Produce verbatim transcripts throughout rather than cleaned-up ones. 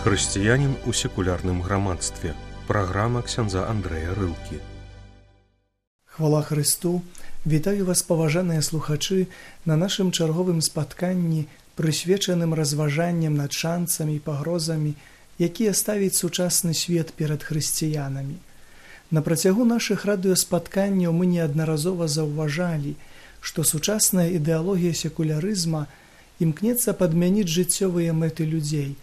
Хрысціянін у секулярным грамадстве. Праграма ксяндза Андрэя Рылкі. Хвала Христу! Вітаю вас, паважаныя слухачы, на нашым чарговым спатканні, прысвечаным разважанням над шанцамі і пагрозамі, якія ставіць сучасны свет перад хрысціянамі. На працягу нашых радыёспатканняў мы неаднаразова заўважалі, што сучасная ідэалогія секулярызма імкнецца падмяніць жыццёвыя мэты людзей,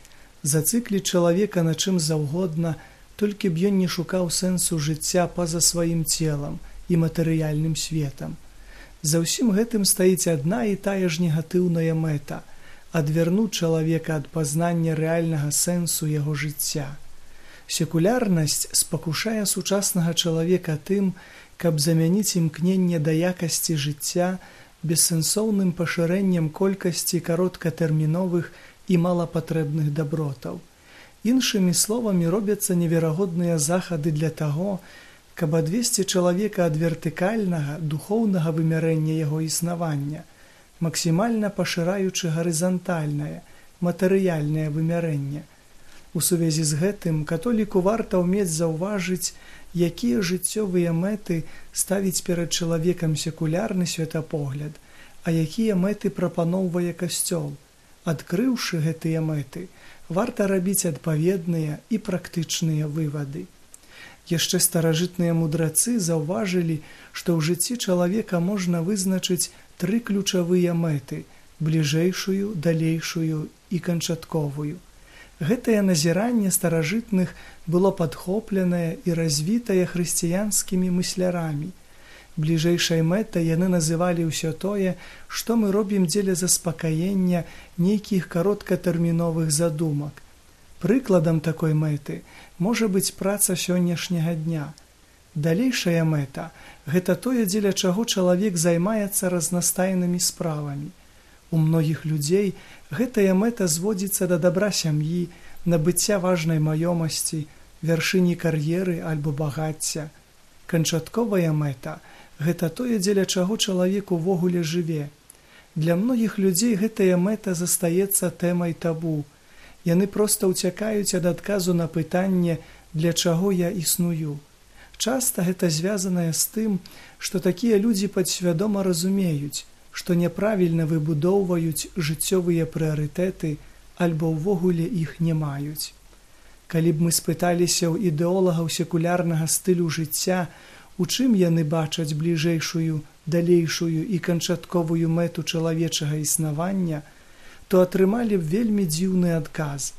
зацыкліць чалавека на чым заўгодна, толькі б ён не шукаў сэнсу жыцця па-за сваім целам і матэрыяльным светам. За ўсім гэтым стаіць адна і тая ж негатыўная мэта – адвярнуць чалавека ад пазнання рэальнага сэнсу яго жыцця. Секулярнасць спакушае сучаснага чалавека тым, каб замяніць імкненне да якасці жыцця бессэнсоўным пашырэннем колькасці кароткатэрміновых і малапатрэбных дабротаў. Іншымі словамі, робяцца неверагодныя захады для таго, каб адвесці чалавека ад вертыкальнага, духоўнага вымярэння яго існавання, максімальна пашыраючы гарызантальнае, матэрыяльнае вымярэнне. У сувязі з гэтым католіку варта ўмець заўважыць, якія жыццёвыя мэты ставіць перад чалавекам секулярны светапогляд, а якія мэты прапаноўвае касцёл. Адкрыўшы гэтыя мэты, варта рабіць адпаведныя і практычныя вывады. Яшчэ старажытныя мудрацы заўважылі, што ў жыцці чалавека можна вызначыць тры ключавыя мэты – бліжэйшую, далейшую і канчатковую. Гэтае назіранне старажытных было падхопленае і развітае хрысціянскімі мыслярамі. Бліжэйшай мэтай яны называлі ўсё тое, што мы робім дзеля заспакаення нейкіх кароткатэрміновых задумак. Прыкладам такой мэты можа быць праца сённяшняга дня. Далейшая мэта – гэта тое, дзеля чаго чалавек займаецца разнастайнымі справамі. У многіх людзей гэтая мэта зводзіцца да дабра сям'і, набыцця важнай маёмасці, вяршыні кар'еры альбо багацця. Канчатковая мэта – гэта тое, дзеля чаго чалавек увогуле жыве. Для многіх людзей гэтая мэта застаецца тэмай табу. Яны проста ўцякаюць ад адказу на пытанне, для чаго я існую. Часта гэта звязанае з тым, што такія людзі падсвядома разумеюць, што няправільна выбудоўваюць жыццёвыя прыярытэты альбо ўвогуле іх не маюць. Калі б мы спыталіся ў ідэолагаў секулярнага стылю жыцця, у чым яны бачаць бліжэйшую, далейшую і канчатковую мэту чалавечага існавання, то атрымалі б вельмі дзіўны адказ.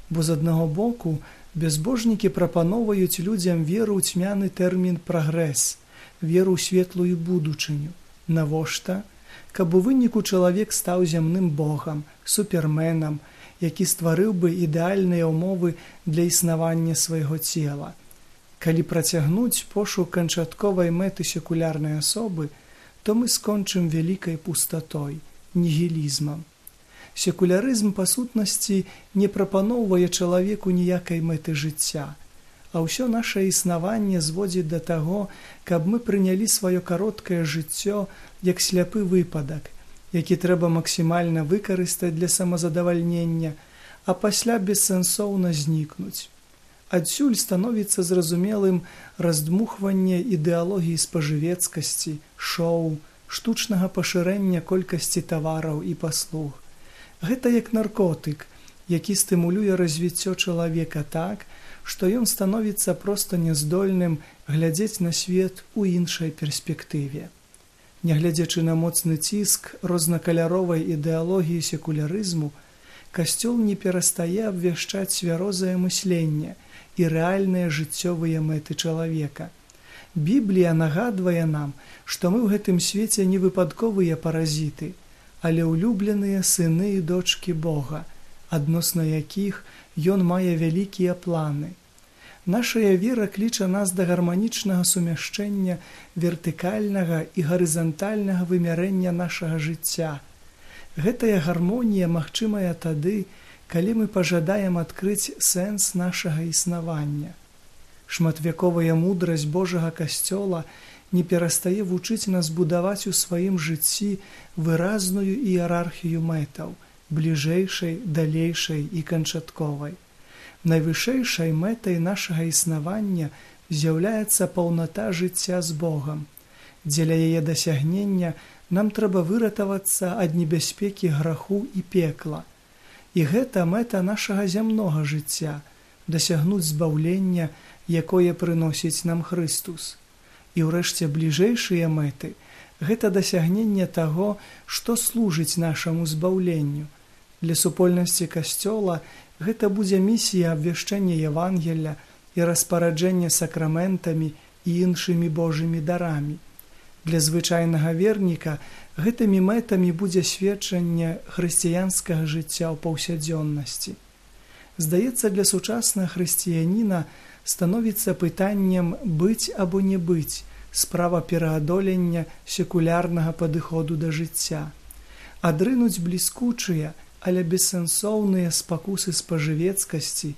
Бо з аднаго боку бязбожнікі прапаноўваюць людзям веру ў цьмяны тэрмін прагрэс, веру ў светлую будучыню. Навошта? Каб у выніку чалавек стаў зямным богам, суперменам, які стварыў бы ідэальныя ўмовы для існавання свайго цела. Калі працягнуць пошук канчатковай мэты секулярнай асобы, то мы скончым вялікай пустатой, нігілізмам. Секулярызм, па сутнасці, не прапаноўвае чалавеку ніякай мэты жыцця, а ўсё нашае існаванне зводзіць да таго, каб мы прынялі сваё кароткае жыццё як сляпы выпадак, які трэба максімальна выкарыстаць для самазадавальнення, а пасля бессэнсоўна знікнуць. Адсюль становіцца зразумелым раздмухванне ідэалогіі спажывецкасці, шоу, штучнага пашырэння колькасці тавараў і паслуг. Гэта як наркотык, які стымулюе развіццё чалавека так, што ён становіцца проста няздольным глядзець на свет у іншай перспектыве. Нягледзячы на моцны ціск рознакаляровай ідэалогіі секулярызму, касцёл не перастае абвяшчаць цвярозае мысленне і рэальныя жыццёвыя мэты чалавека. Біблія нагадвае нам, што мы ў гэтым свеце не выпадковыя паразіты, але ўлюбленыя сыны і дочкі Бога, адносна якіх ён мае вялікія планы. Нашая вера кліча нас да гарманічнага сумяшчэння вертыкальнага і гарызантальнага вымярэння нашага жыцця. Гэтая гармонія магчымая тады, калі мы пажадаем адкрыць сэнс нашага існавання. Шматвяковая мудрасць Божага касцёла не перастае вучыць нас будаваць у сваім жыцці выразную іерархію мэтаў, бліжэйшай, далейшай і канчатковай. Найвышэйшай мэтай нашага існавання з'яўляецца паўната жыцця з Богам. Дзеля яе дасягнення нам трэба выратавацца ад небяспекі граху і пекла. І гэта мэта нашага зямнога жыцця – дасягнуць збаўлення, якое прыносіць нам Хрыстус. І ўрэшце бліжэйшыя мэты – гэта дасягненне таго, што служыць нашаму збаўленню. Для супольнасці Касцёла гэта будзе місія абвяшчэння Евангелля і распараджэння сакраментамі і іншымі Божымі дарамі. Для звычайнага верніка гэтымі мэтамі будзе сведчанне хрысціянскага жыцця ў паўсядзённасці. Здаецца, для сучаснага хрысціяніна становіцца пытаннем быць або не быць, справа пераадолення секулярнага падыходу да жыцця. Адрынуць бліскучыя, але бессэнсоўныя спакусы спажывецкасці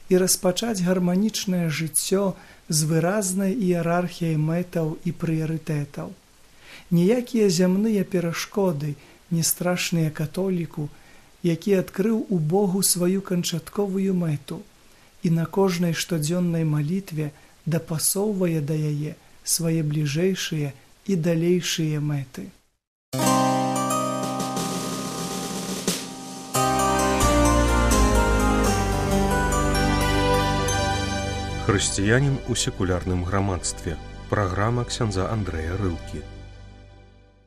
і распачаць гарманічнае жыццё з выразнай іерархіяй мэтаў і прыярытэтаў. Ніякія зямныя перашкоды не страшныя католіку, які адкрыў у Богу сваю канчатковую мэту і на кожнай штодзённай малітве дапасоўвае да яе свае бліжэйшыя і далейшыя мэты. Хрысціянін у секулярным грамадстве. Праграма ксяндза Андрэя Рылкі.